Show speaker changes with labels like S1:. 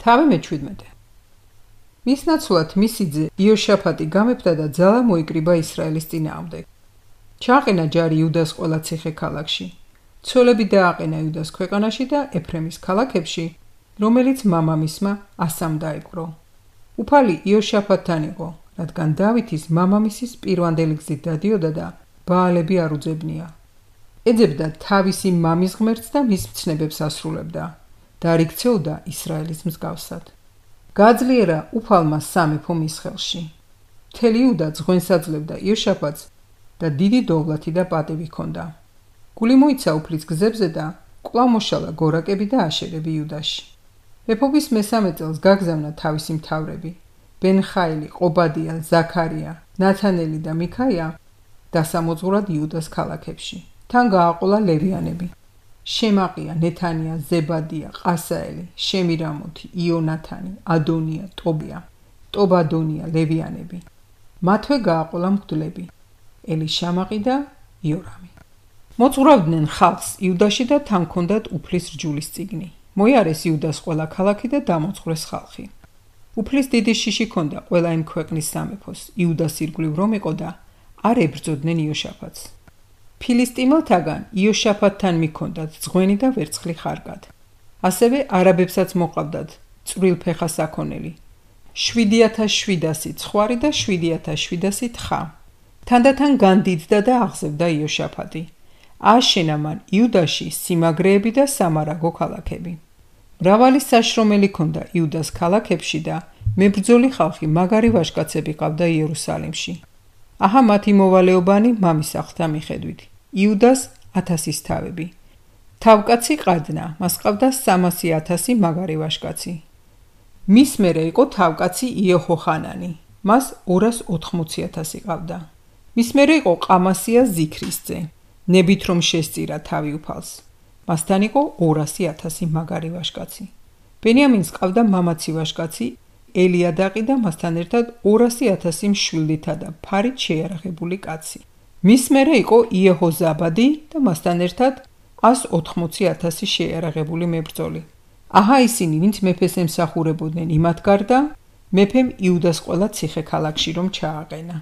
S1: თავი მე-17. მის ნაცვლად მისი ძე იოშაფატი გამეფდა და ძალა მოიკრიბა ისრაელის წინააღმდეგ. ჩააყენა ჯარი იუდას ყველა ციხე-ქალაქში. ცოლები დააყენა იუდას ქვეყანაში და ეფრემის ქალაქებში, რომელიც მამამისმა ასამ დაიპყრო. უფალი იოშაფატთან იყო, რადგან დავითის მამამისის პირვანდელი გზით დადიოდა და ბაალები არ უძებნია. ეძებდა თავისი მამის ღმერთს და მის მცნებებს ასრულებდა და არ იქცეოდა ისრაელის მსგავსად. გააძლიერა უფალმა სამეფო მის ხელში. მთელი იუდა ძღვენს აძლევდა იოშაფატს და დიდი დოვლათი და პატივი ჰქონდა. გული მოიცა უფლის გზებზე და კვლავ მოშალა გორაკები და აშერები იუდაში. მეფობის მესამე წელს გაგზავნა თავისი მთავრები ბენხაილი, ყობადია, ზაქარია, ნათანელი და მიქაია დასამოძღვრად იუდას ქალაქებში. თან გააყოლა ლევიანები: შემაყია, ნეთანია, ზებადია, ყასაელი, შემირამოთი, იონათანი, ადონია, ტობია, ტობადონია, ლევიანები. მათვე გააყოლა მღვდლები: ელიშამაყი და იორამი. მოძღვრავდნენ ხალხს იუდაში და თან ჰქონდათ უფლის რჯულის წიგნი. მოიარეს იუდას ყველა ქალაქი და დამოძღვრეს ხალხი. უფლის დიდი შიში ჰქონდა ყველა იმ ქვეყნის სამეფოს. იუდას ირგვლივ რომ იყო და არ ებრძოდნენ იოშაფატს. ფილისტიმელთაგან იოშაფატთან მიჰქონდათ ძღვენი და ვერცხლი ხარკად. ასევე არაბებსაც მოყავდათ წვრილფეხა საქონელი 7700 ცხვარი და 7700 თხა. თანდათან განდიდდა და აღზევდა იოშაფატი. ააშენა მან იუდაში სიმაგრეები და სამარაგო ქალაქები. მრავალი საშრომელი ჰქონდა იუდას ქალაქებში და მებრძოლი ხალხი მაგარი ვაჟკაცები ყავდა იერუსალიმში. აჰა მათი მოვალეობანი მამის აღთა მიხედვით. იუდას 1000-ის თავები. თავკაცი ყადნა, მას ყავდა 300,000 მაგარი ვაჟკაცი. მის მერე იყო თავკაცი იეჰოხანანი, მას 280,000 ყავდა. მის მერე იყო ყამასია ზიქრის ძე, ნებით რომ შესწირა თავი უფალს. მასთან იყო 200,000 მაგარი ვაჟკაცი. ბენიამინს ყავდა მამაცი ვაჟკაცი ელიადაყი და მასთან ერთად 200,000 მშვილდითა და ფარით შეიარაღებული კაცი. მის მერე იყო იეჰოზაბადი და მასთან ერთად 180,000 შეიარაღებული მებრძოლი. აჰა ისინი, ვინც მეფეს ემსახურებოდნენ იმათ გარდა, მეფემ იუდას ყველა ციხე-ქალაქში რომ ჩააყენა.